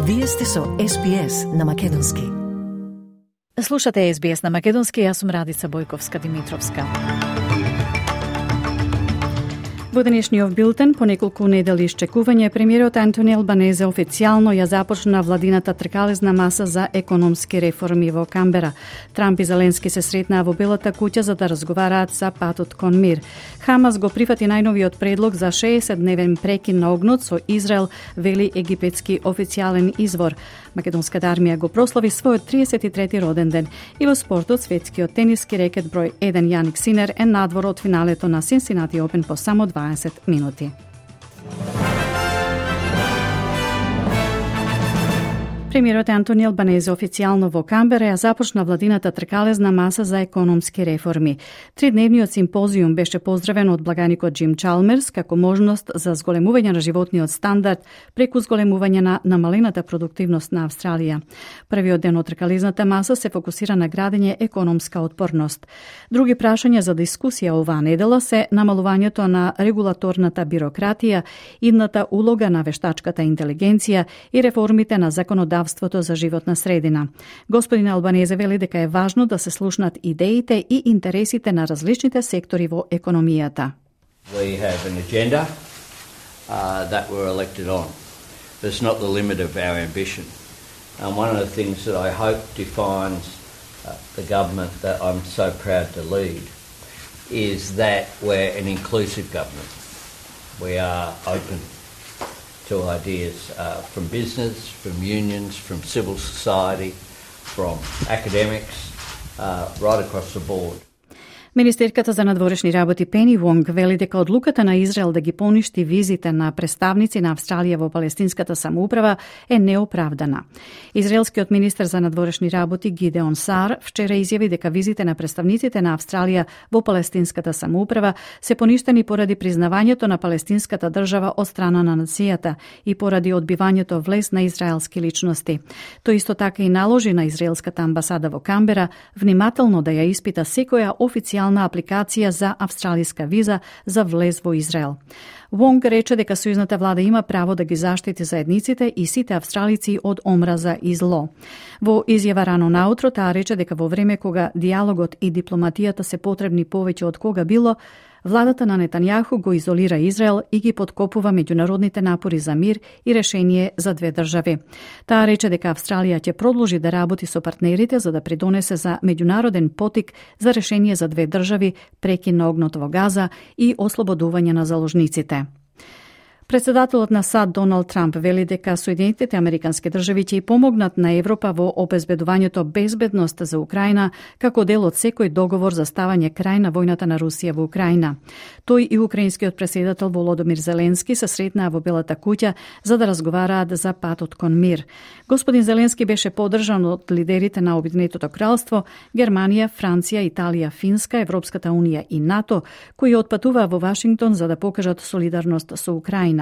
Вие сте со SBS на Македонски. Слушате SBS на Македонски, јас сум Радица Бојковска-Димитровска. Во денешниот билтен, по неколку недели исчекување, премиерот Антони Албанезе официјално ја започна владината тркалезна маса за економски реформи во Камбера. Трамп и Зеленски се сретнаа во Белата куќа за да разговараат за патот кон мир. Хамас го прифати најновиот предлог за 60-дневен прекин на огнот со Израел, вели египетски официјален извор. Македонската армија го прослави својот 33-ти роден ден. И во спортот, светскиот тениски рекет број 1 Јаник Синер е надвор од финалето на Cincinnati Open по само 20 минути. Премиерот Антони Албанезе официјално во Камбера ја започна владината тркалезна маса за економски реформи. Тридневниот симпозиум беше поздравен од благаникот Джим Чалмерс како можност за зголемување на животниот стандард преку зголемување на намалената продуктивност на Австралија. Првиот ден од тркалезната маса се фокусира на градење економска отпорност. Други прашања за дискусија оваа недела се намалувањето на регулаторната бирократија, идната улога на вештачката интелигенција и реформите на законодавството за животна средина. Господин Албанезе вели дека е важно да се слушнат идеите и интересите на различните сектори во економијата. We have an agenda that we're elected on. That's not the limit of our ambition. One of the things that I hope defines the government that I'm so proud to lead is that we're an inclusive government. We are open to ideas from business, from unions, from civil society, from academics, right across the board. Министерката за надворешни работи Пени Вонг вели дека одлуката на Израел да ги поништи визите на представници на Австралија во палестинската самоуправа е неоправдана. Израелскиот министер за надворешни работи Гидеон Сар вчера изјави дека визите на представниците на Австралија во палестинската самоуправа се поништени поради признавањето на палестинската држава од страна на нацијата и поради одбивањето влез на израелски личности. Тој исто така и наложи на израелската амбасада во Камбера внимателно да ја испита секоја официјална апликација за австралиска виза за влез во Израел. Вонг рече дека сојузната влада има право да ги заштити заедниците и сите австралици од омраза и зло. Во изјава рано наутро таа рече дека во време кога диалогот и дипломатијата се потребни повеќе од кога било, владата на Нетањаху го изолира Израел и ги подкопува меѓународните напори за мир и решение за две држави. Таа рече дека Австралија ќе продолжи да работи со партнерите за да придонесе за меѓународен потик за решение за две држави, прекин на огнот во Газа и ослободување на заложниците. Председателот на САД Доналд Трамп вели дека Соединетите Американски држави ќе помогнат на Европа во обезбедувањето безбедност за Украина како дел од секој договор за ставање крај на војната на Русија во Украина. Тој и украинскиот претседател Володомир Зеленски се сретнаа во Белата куќа за да разговараат за патот кон мир. Господин Зеленски беше поддржан од лидерите на Обединетото кралство, Германија, Франција, Италија, Финска, Европската унија и НАТО, кои отпатуваа во Вашингтон за да покажат солидарност со Украина.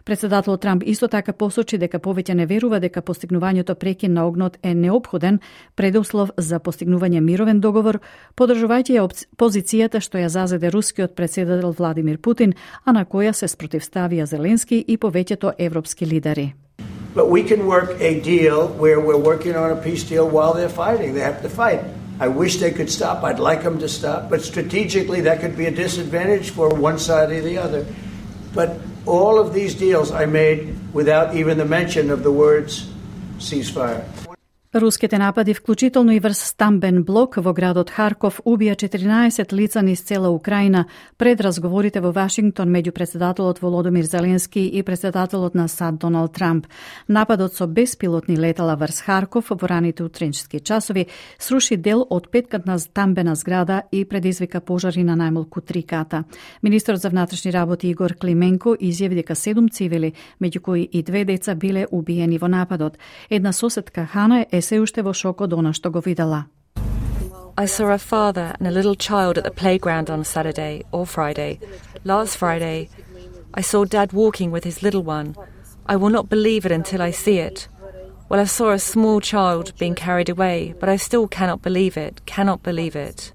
Председателот Трамп исто така посочи дека повеќе не верува дека постигнувањето прекин на огнот е неопходен предуслов за постигнување мировен договор, поддржувајќи ја позицијата што ја зазеде рускиот претседател Владимир Путин, а на која се спротивставија Зеленски и повеќето европски лидери. But we can work a deal where we're working on a peace deal while they're fighting. They have to fight. I wish they could stop. I'd like them to stop. But strategically, that could be a disadvantage for one side or the other. But all of these deals I made without even the mention of the words ceasefire. Руските напади, вклучително и врз стамбен блок во градот Харков, убија 14 лица низ цела Украина пред разговорите во Вашингтон меѓу председателот Володомир Зеленски и председателот на САД Доналд Трамп. Нападот со беспилотни летала врз Харков во раните утринчески часови сруши дел од петкатна стамбена зграда и предизвика пожари на најмалку 3 ката. Министерот за внатрешни работи Игор Клименко изјави дека 7 цивили, меѓу кои и 2 деца, биле убиени во нападот. Една соседка Хана е се уште во шок од она што го видела. I saw a father and a little child at the playground on Saturday or Friday. Last Friday, I saw Dad walking with his little one. I will not believe it until I see it. Well, I saw a small child being carried away, but I still cannot believe it.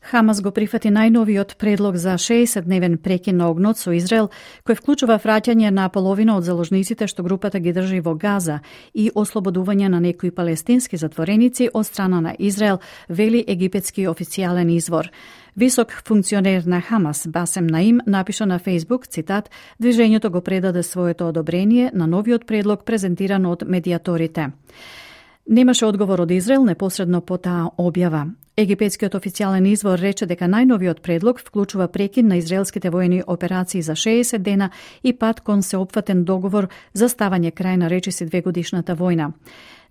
Хамас го прифати најновиот предлог за 60-дневен прекин на огнот со Израел, кој вклучува враќање на половина од заложниците што групата ги држи во Газа и ослободување на некои палестински затвореници од страна на Израел, вели египетски официјален извор. Висок функционер на Хамас, Басем Наим, напиша на Фейсбук, цитат, движењето го предаде своето одобрение на новиот предлог презентиран од медиаторите. Немаше одговор од Израел непосредно по таа објава. Египетскиот официјален извор рече дека најновиот предлог вклучува прекин на израелските воени операции за 60 дена и пат кон сеопфатен договор за ставање крај на речиси 2-годишната војна.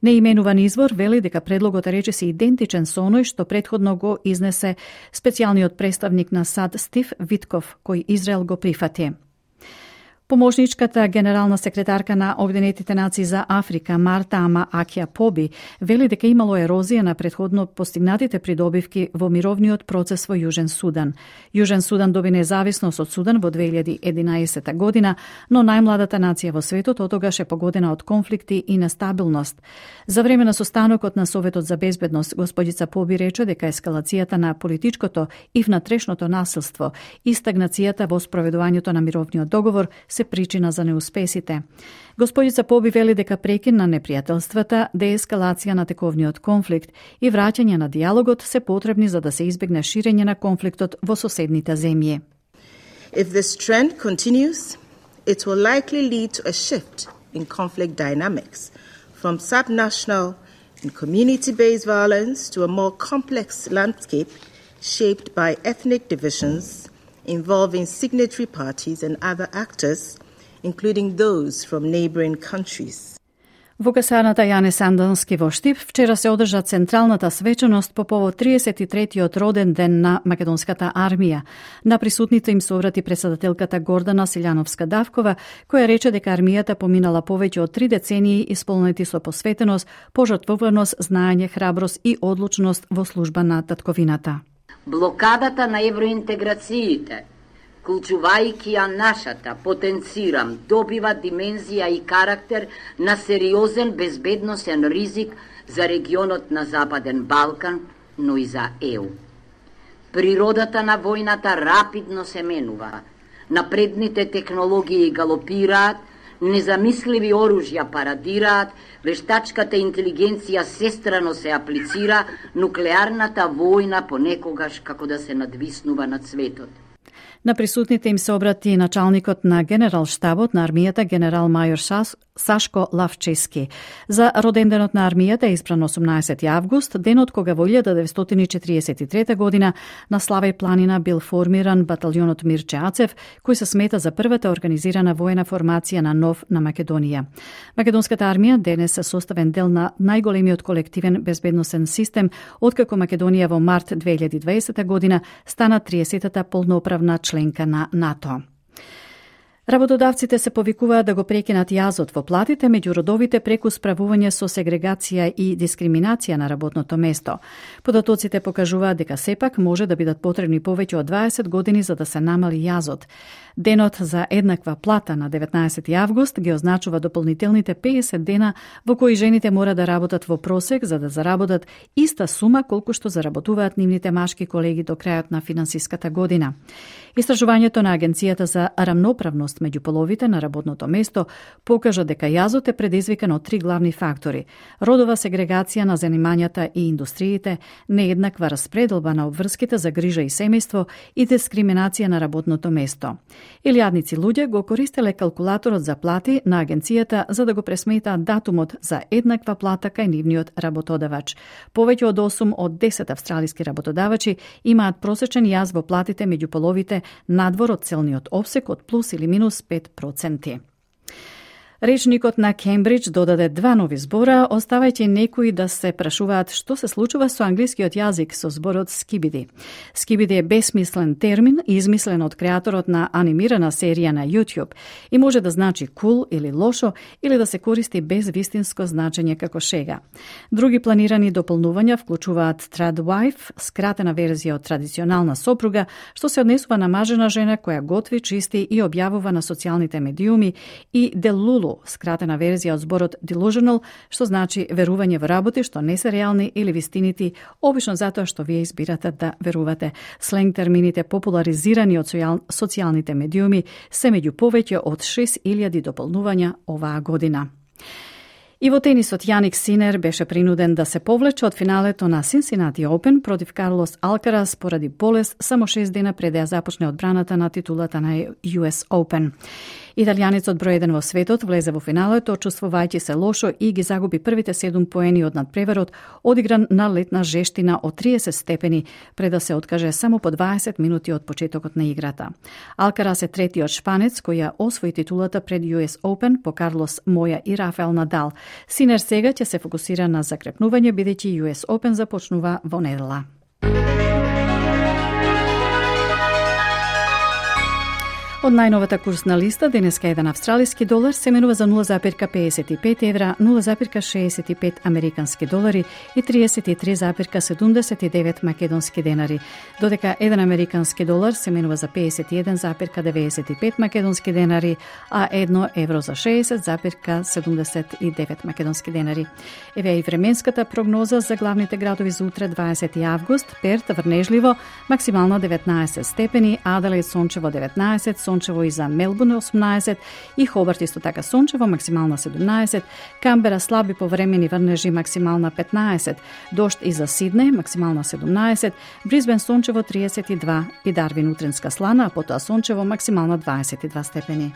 Неименуван извор вели дека предлогот е речиси идентичен со оној што претходно го изнесе специјалниот представник на САД Стив Витков, кој Израел го прифати. Помошничката генерална секретарка на Обединетите нации за Африка, Марта Ама Акија Поби, вели дека имало ерозија на претходно постигнатите придобивки во мировниот процес во Јужен Судан. Јужен Судан доби независност од Судан во 2011 година, но најмладата нација во светот отогаш е погодена од конфликти и нестабилност. За време на состанокот на Советот за безбедност, господица Поби рече дека ескалацијата на политичкото и внатрешното насилство и стагнацијата во спроведувањето на мировниот договор се причина за неуспесите. Господица Поби вели дека прекин на непријателствата, деескалација на тековниот конфликт и враќање на диалогот се потребни за да се избегне ширење на конфликтот во соседните земји. If this trend continues, it will likely lead to a shift in conflict dynamics from subnational and community-based violence to a more complex landscape shaped by ethnic divisions involving signatory parties and other actors, including those from neighboring countries. Во касарната Јане Сандонски во Штип вчера се одржа централната свечаност по повод 33-тиот роден ден на македонската армија. На присутните им се обрати председателката Гордана Силјановска-Давкова, која рече дека армијата поминала повеќе од 3 децении исполнети со посветеност, пожртвуваност, знаење, храброст и одлучност во служба на татковината. Блокадата на евроинтеграциите, вклучувајќи ја нашата, потенцирам, добива димензија и карактер на сериозен безбедносен ризик за регионот на Западен Балкан, но и за ЕУ. Природата на војната рапидно се менува, напредните технологии галопираат, незамисливи оружја парадираат, вештачката интелигенција сестрано се аплицира, нуклеарната војна понекогаш како да се надвиснува над светот. На присутните им се обрати началникот на генерал-штабот на армијата генерал мајор Сашко Лавчески. За роденденот на армијата е избран 18 август, денот кога во 1943 година на Славеј планина бил формиран баталјонот Мирче Ацев, кој се смета за првата организирана воена формација на НОВ на Македонија. Македонската армија денес е составен дел на најголемиот колективен безбедносен систем, откако Македонија во март 2020 година стана 30-та полноправна членка на НАТО. Работодавците се повикуваат да го прекинат јазот во платите меѓу родовите преку справување со сегрегација и дискриминација на работното место. Податоците покажуваат дека сепак може да бидат потребни повеќе од 20 години за да се намали јазот. Денот за еднаква плата на 19 август ги означува дополнителните 50 дена во кои жените мора да работат во просек за да заработат иста сума колку што заработуваат нивните машки колеги до крајот на финансиската година. Истражувањето на Агенцијата за рамноправност меѓу половите на работното место покажа дека јазот е предизвикан од 3 главни фактори: родова сегрегација на занимањата и индустриите, нееднаква распределба на обврските за грижа и семејство и дискриминација на работното место. Илјадници луѓе го користеле калкулаторот за плати на агенцијата за да го пресметаат датумот за еднаква плата кај нивниот работодавач. Повеќе од 8 од 10 австралиски работодавачи имаат просечен јаз во платите меѓу половите надвор од целниот опсек од плюс или минус 5%. Речникот на Кембридж додаде 2 нови збора, оставајќи некои да се прашуваат што се случува со англискиот јазик со зборот скибиди. Скибиди е бесмислен термин, измислен од креаторот на анимирана серија на YouTube и може да значи кул или лошо или да се користи без вистинско значење како шега. Други планирани дополнувања вклучуваат tradwife, скратена верзија од традиционална сопруга, што се однесува на мажена жена која готви, чисти и објавува на социјалните медиуми, и делулу, скратена верзија од зборот delusional, што значи верување во работи што не се реални или вистинити, обично затоа што вие избирате да верувате. Сленг термините популаризирани од социјалните медиуми се меѓу повеќе од 6000 дополнувања оваа година. И во тенисот Јаник Синер беше принуден да се повлече од финалето на Cincinnati Open против Карлос Алкарас поради болест само 6 дена пред да ја започне одбраната на титулата на US Open. Италијанецот број 1 во светот влезе во финалето, чувствувајќи се лошо и ги загуби првите 7 поени од надпреварот, одигран на летна жештина од 30 степени, пред да се откаже само по 20 минути од почетокот на играта. Алкарас е третиот шпанец кој ја освои титулата пред US Open по Карлос Моја и Рафаел Надал. Синер сега ќе се фокусира на закрепнување, бидејќи US Open започнува во недела. Од најновата курсна листа, денеска еден австралиски долар се менува за 0,55 евра, 0,65 американски долари и 33,79 македонски денари, додека еден американски долар се менува за 51,95 македонски денари, а 1 евро за 60,79 македонски денари. Еве и временската прогноза за главните градови за утре 20 август: Перт врнежливо, максимално 19 степени, Аделаид сончево 19, сончево и за Мелбурн 18 и Хобарт исто така сончево, максимална 17, Камбера слаби повремени врнежи, максимална 15, дожд и за Сиднеј, максимална 17, Брисбен сончево 32 и Дарвин утренска слана, а потоа сончево, максимална 22 степени.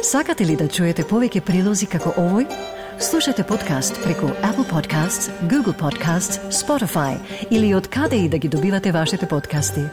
Сакате ли да чуете повеќе прилози како овој? Слушате подкаст преку Apple Podcasts, Google Podcasts, Spotify или од каде и да ги добивате вашите подкасти.